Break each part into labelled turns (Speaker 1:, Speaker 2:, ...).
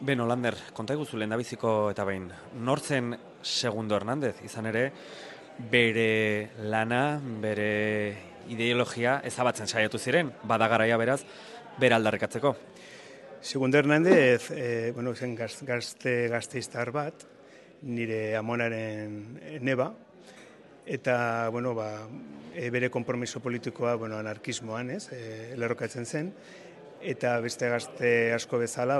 Speaker 1: Beno, Lander, konta eguzu lehendabiziko eta behin, nortzen Segundo Hernández, izan ere, bere lana, bere ideologia ezabatzen saiatu ziren, bada garaia beraz, bere aldarrikatzeko.
Speaker 2: Segundo Hernández, zen gazteiztar bat, nire amonaren neba, eta bere konpromiso politikoa anarkismoan, lerrokatzen zen, eta beste gazte asko bezala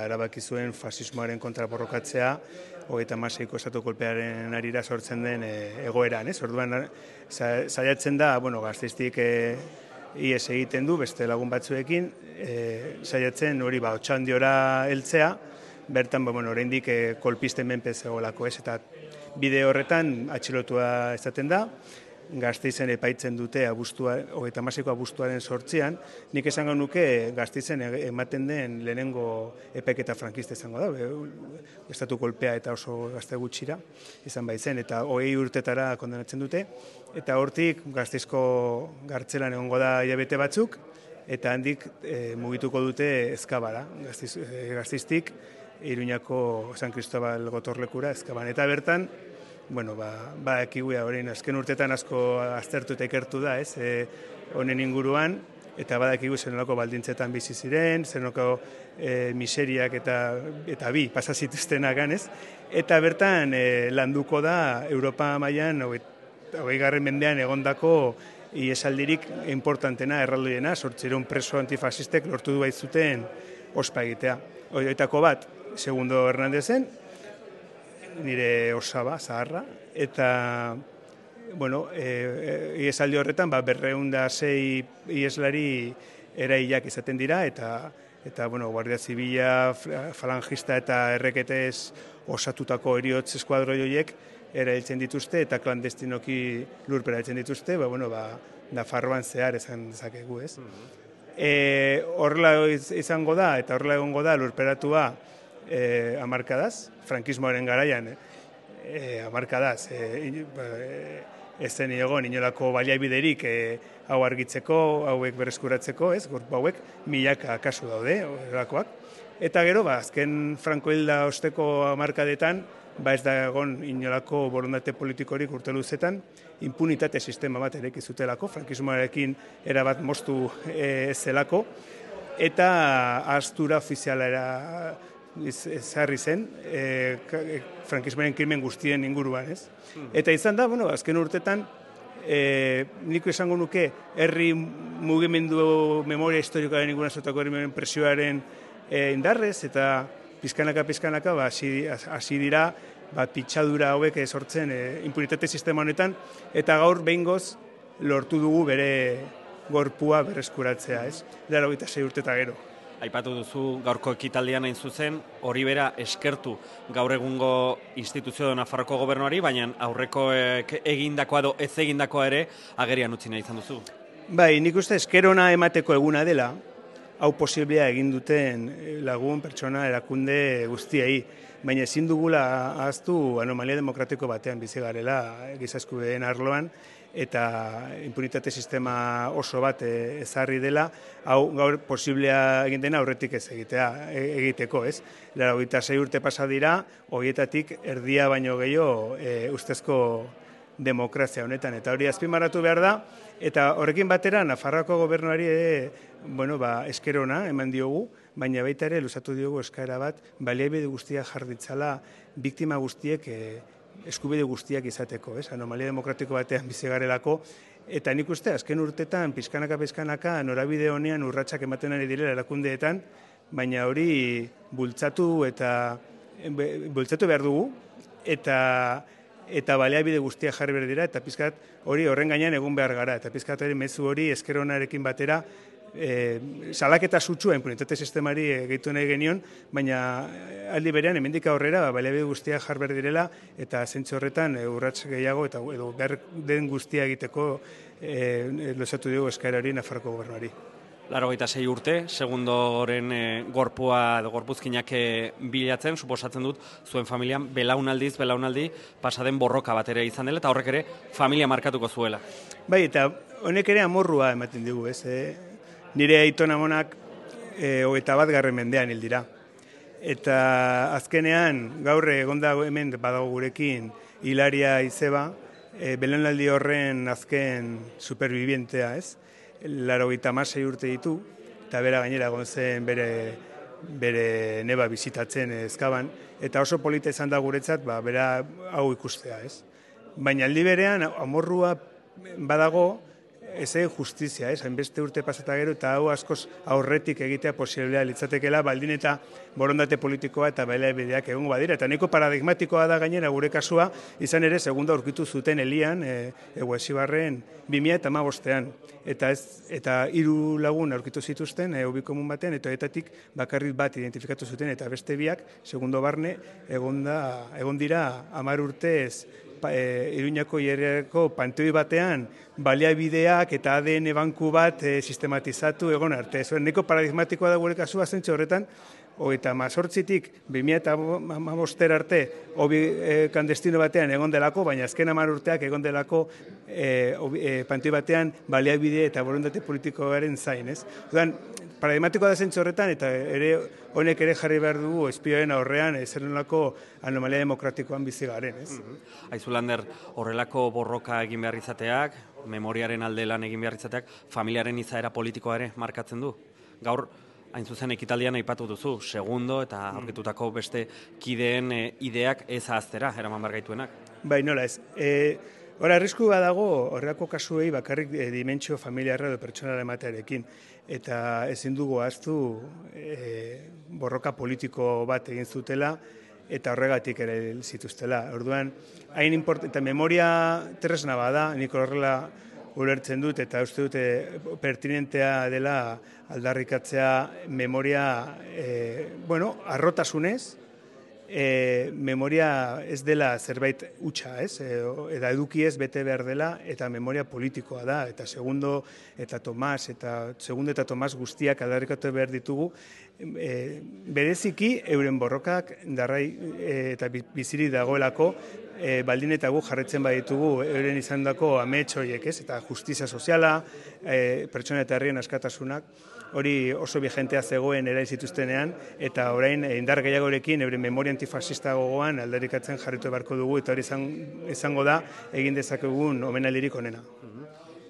Speaker 2: erabaki zuen fasismoaren kontra borrokatzea 36ko estatu kolpearen harira sortzen den egoeran. Orduan saiatzen da Gasteiztik ihes egiten du beste lagun batzuekin, saiatzen hori Otxandiora heltzea, bertan oraindik kolpisten menpe zegoelako, eta bide horretan atxilotua izaten da. Gasteizen epaitzen dute 36ko abuztuaren 8an, nik esango nuke Gasteizen ematen den lehenengo epaiketa frankista izango da, estatu kolpea eta oso gazte gutxira izan baitzen, eta 20 urtetara kondenatzen dute, eta hortik Gasteizko gartzelan egongo da hilabete batzuk, eta handik mugituko dute Ezkabara, Gasteiztik Iruñako San Cristobal gotorlekura Ezkaban, eta bertan ekiguia horrein azken urtetan asko aztertu eta ikertu da, honen inguruan, eta badakigu zenolako baldintzetan bizi ziren, zenolako miseriak eta bi pasazituztenak ganez, eta bertan landuko da Europa mailan 20. mendean egondako iesaldirik importantena, erraldoiena, 800 preso antifasistek lortu du baitzuten ospa egitea. Horietako bat, Segundo Hernández-en, nire osaba, zaharra, eta iesaldi horretan 206 ieslari erailak izaten dira, eta Guardia Zibila, falangista eta erreketez osatutako heriotz eskuadroi horiek erailtzen dituzte, eta klandestinoki lurpera erailtzen dituzte, Nafarroan zehar esan dezakegu, ez? Horrela izango da, eta horrela egongo da lurperatua hamarkadaz, frankismoaren garaian, hamarkadaz, ez zen egon inolako baliabiderik hau argitzeko, hauek berreskuratzeko, gorpu hauek milaka kasu daude, horrelakoak. Eta gero, azken Franco hilda osteko hamarkadetan, ez da egon inolako borondate politikorik urte luzetan, impunitate sistema bat ereki zutelako, frankismoarekin erabat moztu zelako, eta ahaztura ofizialera ezarri zen, frankismoaren krimen guztien inguruan, ez? Eta izan da, azken urtetan, nik esango nuke, herri mugimendu memoria historikoaren inguruan zotako herri presioaren indarrez, eta pizkanaka hasi dira, pitxadura hauek sortzen impunitate sistema honetan, eta gaur behingoz lortu dugu bere gorpua berreskuratzea, ez? 26 urte eta gero.
Speaker 1: Aipatu duzu gaurko ekitaldian hain zuzen, hori bera eskertu gaur egungo instituzio Nafarroko gobernuari, baina aurreko egindakoa edo ez egindakoa ere agerian utzi nahi izan duzu.
Speaker 2: Bai, nik uste eskerona emateko eguna dela, hau posiblea egin duten lagun pertsona erakunde guztiei, baina ezin dugula ahaztu anomalia demokratiko batean bizi garela giza eskubideen arloan, eta impunitate sistema oso bat ezarri dela, hau gaur posiblea egin dena aurretik ez egiteko, ez? 26 urte pasa dira, horietatik erdia baino gehiago ustezko demokrazia honetan, eta hori azpimarratu behar da, eta horrekin batera Nafarroako gobernuari eskerona eman diogu, baina baita ere luzatu diogu eskaera bat, baliabide guztiak jarditzala biktima guztiek eskubide guztiak izateko, anomalia demokratiko batean bizi garelako, eta nik uste azken urtetan pizkanaka norabide honean urratsak ematen ari direla erakundeetan, baina hori bultzatu behar dugu, eta baliabide guztiak jarri behar dira, eta pizkat hori horren gainean egun behar gara, eta pizkat hori mezu hori eskeronarekin batera salaketa sutsua impunitate sistemari gehitu nahi genion, baina aldi berean hemendik aurrera baliabide guztiak jar behar direla, eta zentzu horretan urrats gehiago eta behar den guztia egiteko luzatu dugu eskaera hori Nafarroko gobernuari.
Speaker 1: 86 urte, Segundoren gorpua edo gorpuzkinak bilatzen, suposatzen dut, zuen familian belaunaldi pasaden borroka bat ere izan dela, eta horrek ere familia markatuko zuela.
Speaker 2: Bai, eta honek ere amorrua ematen dugu, ez? Nire aiton amonak 21. mendean hil dira. eta azkenean gaur egonda hemen badago gurekin Hilaria Izeba, belaunaldi horren azken supervivientea, ez? 86 urte ditu, eta bera gainera egon zen bere neba bizitatzen Ezkaban, eta oso polita izan da guretzat, bera hau ikustea, ez? Baina aldi berean, amorrua badago, ez justizia, ez? Hainbeste urte pasata gero, eta hau askoz aurretik egitea posiblea litzatekela, baldin eta borondate politikoa eta baliabideak egongo badira. Eta nahiko paradigmatikoa da gainera gure kasua, izan ere, segunda aurkitu zuten Elian, Eguesibarren 2015ean. Eta 3 lagun aurkitu zituzten, ubikomun batean, eta etatik bakarrik bat identifikatu zuten, eta beste biak, segundo barne, egon dira 10 urtez, Iruñako hierreko panteoi batean baliabideak eta ADN banku bat sistematizatu egon arte. Nahiko paradigmatikoa da gure kasua zentzu horretan, eta 18tik 2015 arte kandestino batean egon delako, baina azken 10 urteak egon delako panteoi batean baliabide eta borondate politikoaren zain, ez? Paradigmatikoa da zentzu horretan, eta honek ere jarri behar dugu espioaren aurrean zer nolako anomalia demokratikoan bizi garen, ez?
Speaker 1: Aizu Lander, horrelako borroka egin behar izateak, memoriaren alde lan egin behar izateak, familiaren izaera politikoa ere markatzen du. Gaur, hain zuzen ekitaldian aipatu duzu, segundo eta aurkitutako beste kideen ideak ez ahaztera, eraman behar gaituenak.
Speaker 2: Bai, nola ez. Hora, arrisku badago horrelako kasuei bakarrik dimentsio familiarra edo pertsonala ematearekin. Eta ezin dugu ahaztu borroka politiko bat egin zutela eta horregatik ere zituztela. Orduan, eta memoria tresna bada, nik horrela ulertzen dut eta uste dute pertinentea dela aldarrikatzea memoria, arrotasunez, memoria ez dela zerbait hutsa, ez? Eta eduki ez bete behar dela, eta memoria politikoa da, eta segundo eta Tomas guztiak aldarrikatu behar ditugu, bereziki euren borrokak darrai eta bizirik dagoelako, baldin eta gu jarretzen baditugu euren izandako amets horiek, ez? Eta justizia soziala, pertsona eta herrien askatasunak, hori oso bigentea zegoen erail zituztenean, eta orain indar gehiagorekin euren memoria antifascista gogoan aldarrikatzen jarritu beharko dugu, eta hori izango da egin dezakegun omenaldirik onena.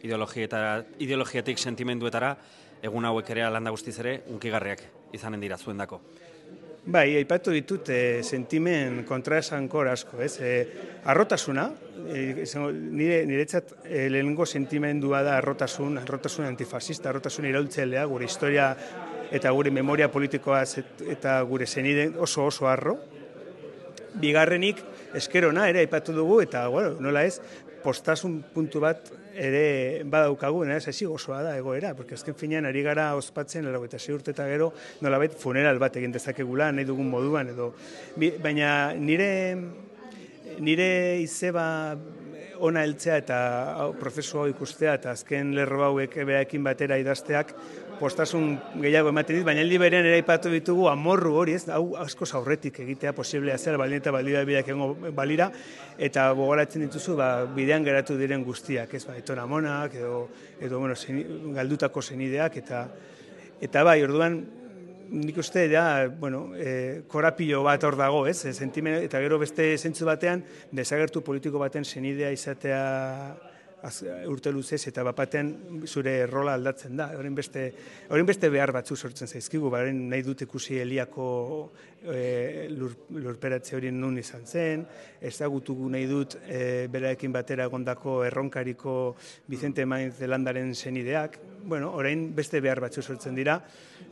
Speaker 1: Ideologiatik sentimenduetara, egun hauek ere landa guztiz ere, unkigarriak izanen dira zuendako.
Speaker 2: Bai, aipatu ditut sentimen kontraesankor asko, ez? Arrotasuna, niretzat lehenengo sentimendua da arrotasun antifascista, arrotasun iraultzailea, gure historia eta gure memoria politikoa eta gure senide oso arro. Bigarrenik, eskerona ere aipatu dugu, eta nola ez, postasun puntu bat ere badaukagu, ez ezi gozoa da egoera, porque azken finean ari gara ospatzen 86 urte eta gero nolabait funeral bat egin dezakegula nahi dugun moduan edo. Baina nire Izeba ona heltzea eta prozesu hau ikustea eta azken lerro hauek beaekin batera idazteak postasun gehiago ematen dit, baina aldi berean ere aipatu ditugu amorru hori, ez? Hau askoz aurretik egitea posiblea zela, baldin eta baliabideak egongo balira, eta gogoratzen dituzu bidean geratu diren guztiak, ez? Aiton Amonak edo galdutako senideak eta bai, orduan nik uste korapilo bat hor dago, ez? Eta gero beste zentzu batean desagertu politiko baten senidea izatea urte luzez eta bapatean zure rola aldatzen da. Horren beste behar batzu sortzen zaizkigu, nahi dut ikusi Eliako lurperatze hori nun izan zen, ezagutugu nahi dut beraekin batera egondako erronkariko Vicente Maiz de Landaren senideak, orain beste behar batzu sortzen dira,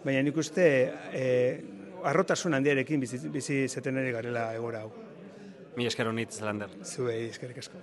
Speaker 2: baina nik uste arrotasun handiarekin bizi izaten ere garela egora hau.
Speaker 1: Mila esker honitz, Lander.
Speaker 2: Zuei eskerrik asko.